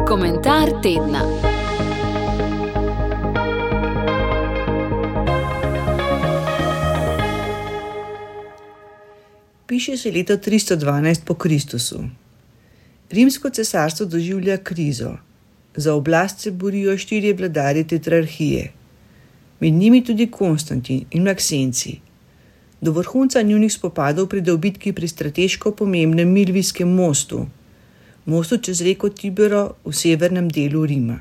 Komentar tedna. Piše se leto 312 po Kristusu. Rimsko cesarstvo doživlja krizo. Za oblast se borijo 4 vladarji tetrarhije. Med njimi tudi Konstantin in Maksenci. Do vrhunca njunih spopadov pride v bitki pri strateško pomembnem Milvijskem mostu čez reko Tibero v severnem delu Rima.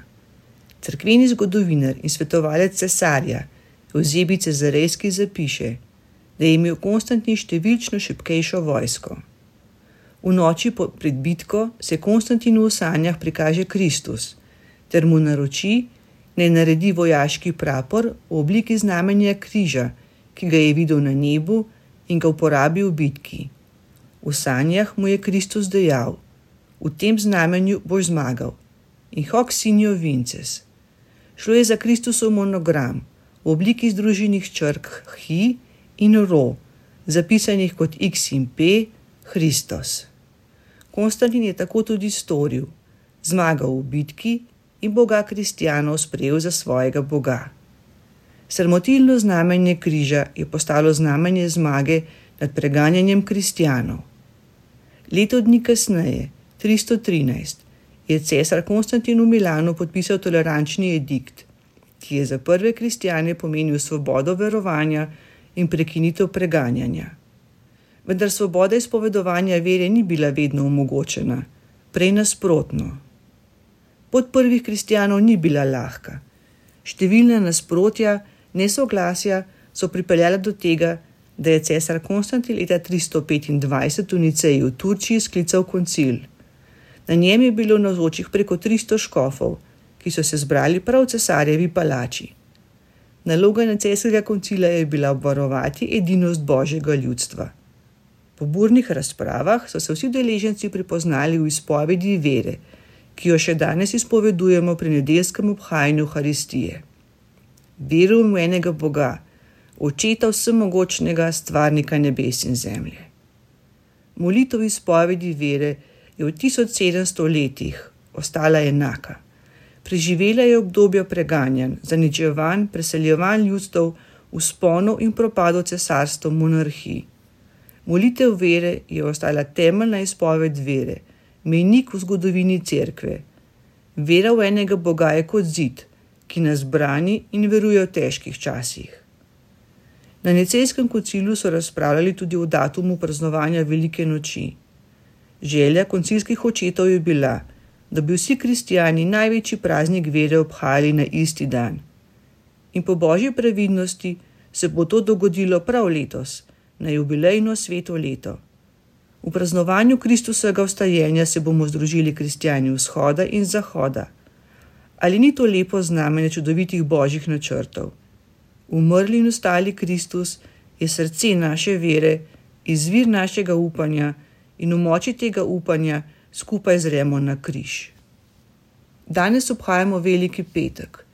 Cerkveni zgodovinar in svetovalec cesarja Evzebij Cezarejski zapiše, da je imel Konstantin številčno šibkejšo vojsko. V noči pred bitko se Konstantinu v sanjah prikaže Kristus ter mu naroči, naj naredi vojaški prapor v obliki znamenja križa, ki ga je videl na nebu in ga uporabi v bitki. V sanjah mu je Kristus dejal: v tem znamenju boš zmagal. In hoc signo vinces. Šlo je za Kristusov monogram v obliki združenih črk Hi in Ro, zapisanih kot X in P, Christos. Konstantin je tako tudi storil, zmagal v bitki in Boga kristjanov sprejel za svojega Boga. Sramotilno znamenje križa je postalo znamenje zmage nad preganjanjem kristjanov. Leto dni kasneje, 313, je cesar Konstantin v Milanu podpisal tolerančni edikt, ki je za prve kristjane pomenil svobodo verovanja in prekinitev preganjanja. Vendar svoboda izpovedovanja vere ni bila vedno omogočena, prej nasprotno. Pot prvih kristjanov ni bila lahka. Številna nasprotja, nesoglasja so pripeljala do tega, da je cesar Konstantin leta 325 v Niceji v Turčiji sklical koncil. Na njem je bilo navzočih preko 300 škofov, ki so se zbrali prav v cesarjevi palači. Naloga nicejskega koncila je bila obvarovati edinost Božjega ljudstva. Po burnih razpravah so se vsi udeleženci pripoznali v izpovedi vere, ki jo še danes izpovedujemo pri nedeljskem obhajanju Euharistije. Verujem v enega Boga, Očeta vsemogočnega, stvarnika nebes in zemlje. Molitev izpovedi vere je v 1700 letih ostala enaka. Preživela je obdobje preganjanj, zaničevanj, preseljevanj ljudstev, vzponov in propadov cesarstva, monarhij. Molitev vere je ostala temeljna izpoved vere, mejnik v zgodovini cerkve. Vera v enega Boga je kot zid, ki nas brani in veruje v težkih časih. Na nicejskem koncilu so razpravljali tudi o datumu praznovanja Velike noči. Želja koncilskih očetov je bila, da bi vsi kristjani največji praznik vere obhajali na isti dan. In po božji previdnosti se bo to dogodilo prav letos, na jubilejno sveto leto. V praznovanju Kristusovega vstajenja se bomo združili kristjani vzhoda in zahoda. Ali ni to lepo znamenje čudovitih božjih načrtov? Umrli in vstali Kristus je srce naše vere, izvir našega upanja in v moči tega upanja skupaj zremo na križ. Danes obhajamo Veliki petek,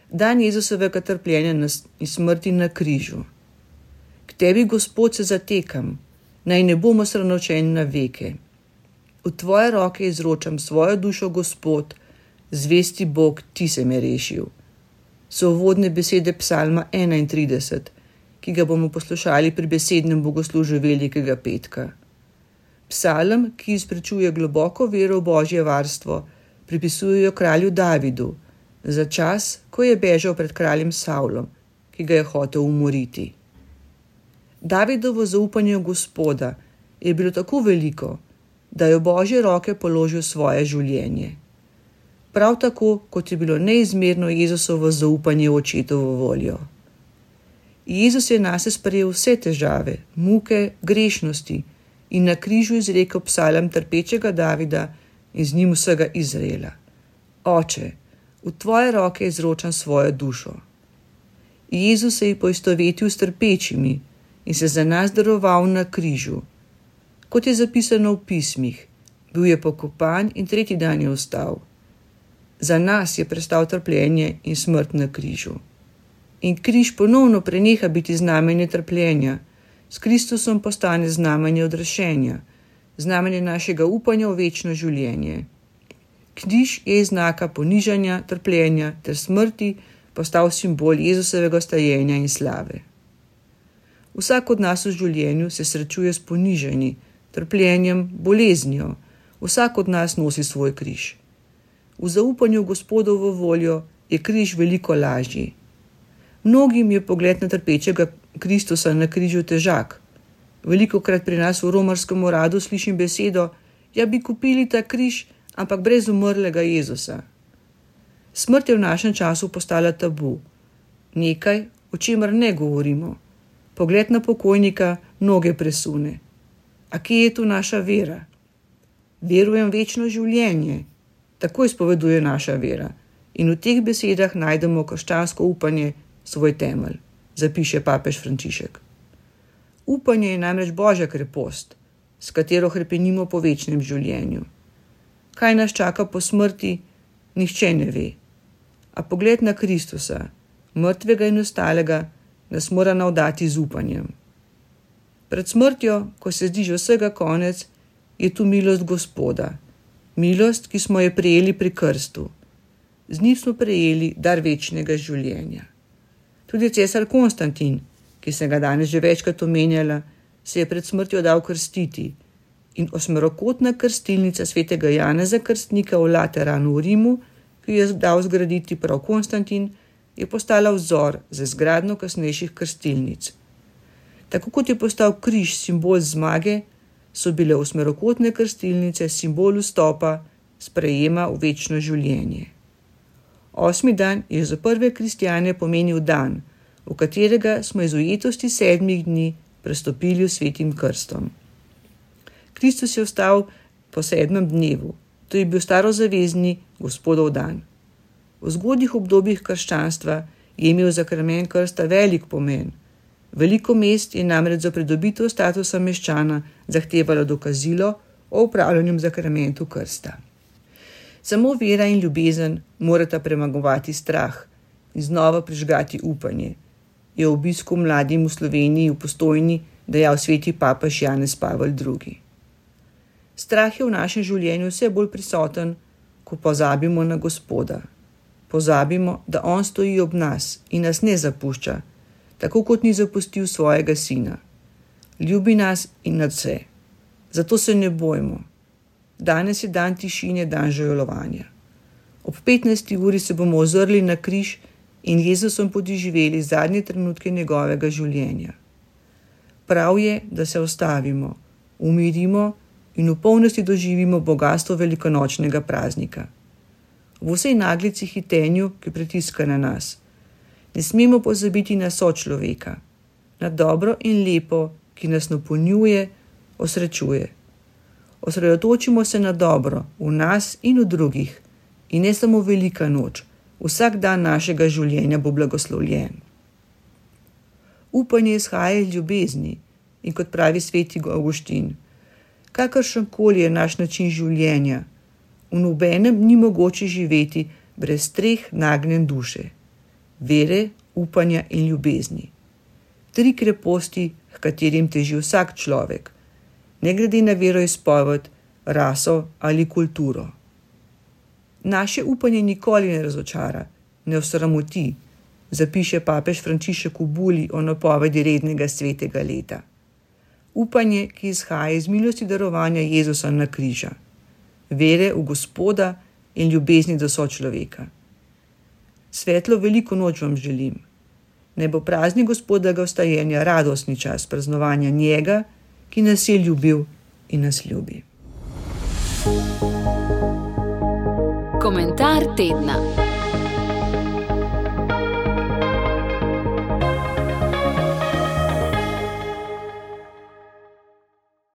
dan Jezusovega trpljenja in smrti na križu. K tebi, Gospod, se zatekam, naj ne bomo sramovčeni na veke. V tvoje roke izročam svojo dušo, Gospod, zvesti Bog, ti se me rešil. So uvodne besede psalma 31, ki ga bomo poslušali pri besednem bogoslužju Velikega petka. Psalm, ki izpričuje globoko vero v Božje varstvo, pripisujejo kralju Davidu, za čas, ko je bežal pred kraljem Savlom, ki ga je hotel umoriti. Davidovo zaupanje v Gospoda je bilo tako veliko, da je v Božje roke položil svoje življenje. Prav tako, kot je bilo neizmerno Jezusovo zaupanje v očetovo voljo. Jezus je nase sprejel vse težave, muke, grešnosti in na križu izrekel psalm trpečega Davida in z njim vsega Izraela. Oče, v tvoje roke izročam svojo dušo. Jezus se je poistovetil s trpečimi in se za nas daroval na križu. Kot je zapisano v pismih, bil je pokopan in tretji dan je vstal. Za nas je prestal trpljenje in smrt na križu. In križ ponovno preneha biti znamenje trpljenja, s Kristusom postane znamenje odrešenja, znamenje našega upanja v večno življenje. Križ je iz znaka ponižanja, trpljenja ter smrti postal simbol Jezusovega stajenja in slave. Vsak od nas v življenju se srečuje s ponižanji, trpljenjem, boleznijo. Vsak od nas nosi svoj križ. V zaupanju v Gospodovo voljo je križ veliko lažji. Mnogim je pogled na trpečega Kristusa na križu težak. Velikokrat pri nas v romarskem uradu slišim besedo: ja, bi kupili ta križ, ampak brez umrlega Jezusa. Smrt je v našem času postala tabu. Nekaj, o čemer ne govorimo. Pogled na pokojnika mnoge presune. A kje je tu naša vera? Verujem v večno življenje. Tako izpoveduje naša vera. In v teh besedah najdemo krščansko upanje, svoj temelj, zapiše papež Frančišek. Upanje je namreč Božja krepost, s katero hrepenimo po večnem življenju. Kaj nas čaka po smrti, nihče ne ve. A pogled na Kristusa, mrtvega in ostalega, nas mora navdati z upanjem. Pred smrtjo, ko se zdi že vsega konec, je tu milost Gospoda. Milost, ki smo jo prejeli pri krstu. Z njim smo prejeli dar večnega življenja. Tudi cesar Konstantin, ki sem ga danes že večkrat omenjala, se je pred smrtjo dal krstiti in osmerokotna krstilnica svetega Janeza Krstnika v Lateranu v Rimu, ki jo je dal zgraditi prav Konstantin, je postala vzor za izgradnjo kasnejših krstilnic. Tako kot je postal križ simbol zmage, so bile osmerokotne krstilnice simbol vstopa, sprejema v večno življenje. 8. dan je za prve kristjane pomenil dan, v katerega smo iz ujetosti 7 dni prestopili v svetim krstom. Kristus je vstal po 7. dnevu, to je bil starozavezni Gospodov dan. V zgodnjih obdobjih krščanstva je imel zakrament krsta velik pomen. Veliko mest je namreč za pridobitev statusa meščana zahtevalo dokazilo o upravljanju zakramentu krsta. Samo vera in ljubezen morata premagovati strah in znova prižgati upanje, je v obisku mladim v Sloveniji v Postojni dejal sveti papež Janez Pavel II. Strah je v našem življenju vse bolj prisoten, ko pozabimo na Gospoda. Pozabimo, da on stoji ob nas in nas ne zapušča, tako kot ni zapustil svojega sina. Ljubi nas in nadvse. Zato se ne bojmo. Danes je dan tišine, dan žalovanja. Ob 15. uri se bomo ozrli na križ in Jezusom podoživeli zadnje trenutke njegovega življenja. Prav je, da se ustavimo, umirimo in v polnosti doživimo bogastvo velikonočnega praznika. V vsej naglici hitenju, ki pritiska na nas, ne smemo pozabiti na sočloveka, na dobro in lepo, ki nas napolnjuje, osrečuje. Osredotočimo se na dobro v nas in v drugih in ne samo velika noč, vsak dan našega življenja bo blagoslovljen. Upanje izhaja iz ljubezni in kot pravi sveti Avguštin, kakršenkoli je naš način življenja, v nobenem ni mogoče živeti brez 3 nagnjen duše, vere, upanja in ljubezni. 3 kreposti, h katerim teži vsak človek, ne glede na veroizpoved, raso ali kulturo. Naše upanje nikoli ne razočara, ne osramoti, zapiše papež Frančišek v buli o napovedi rednega svetega leta. Upanje, ki izhaja iz milosti darovanja Jezusa na križa, vere v Gospoda in ljubezni do sočloveka. Svetlo veliko noč vam želim. Naj bo praznik Gospodovega vstajenja radostni čas praznovanja njega, ki nas je ljubil in nas ljubi. Komentar tedna.